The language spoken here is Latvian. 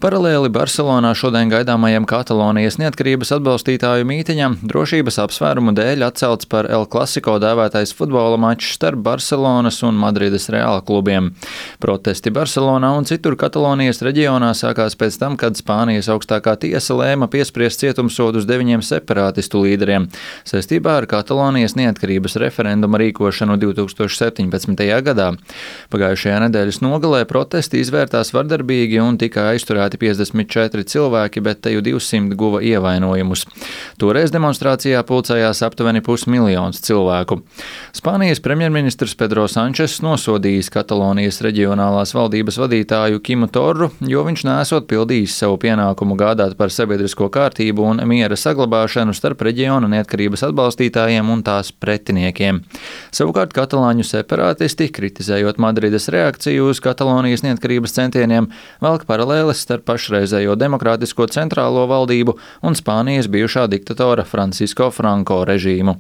Paralēli Barselonā šodien gaidāmajam Katalonijas neatkarības atbalstītāju mītiņam drošības apsvērumu dēļ atcelts par El Clasico dēvētais futbola mačs starp Barselonas un Madrides Reāla klubiem. Protesti Barselonā un citur Katalonijas reģionā sākās pēc tam, kad Spānijas augstākā tiesa lēma piespriest cietumsodus 9 separātistu līderiem saistībā ar Katalonijas neatkarības referenduma rīkošanu 2017. gadā. Pagājušajā nedēļas nogalē protesti izvērtās vardarbīgi un tika aizturēti 54 cilvēki, bet teju 200 guva ievainojumus. Toreiz demonstrācijā pulcējās aptuveni 500 000 cilvēku. Spānijas premjerministrs Pedro Sančes nosodījis Katalonijas reģionālās valdības vadītāju Kimu Torru, jo viņš neesot pildījis savu pienākumu gādāt par sabiedrisko kārtību un miera saglabāšanu starp reģiona neatkarības atbalstītājiem un tās pretiniekiem. Savukārt katalāņu separātisti, kritizējot Madrides reakciju uz Katalonijas neatkarības centieniem, velk paralēles starp pašreizējo demokrātisko centrālo valdību un Spānijas bijušā diktatora Francisco Franco režīmu.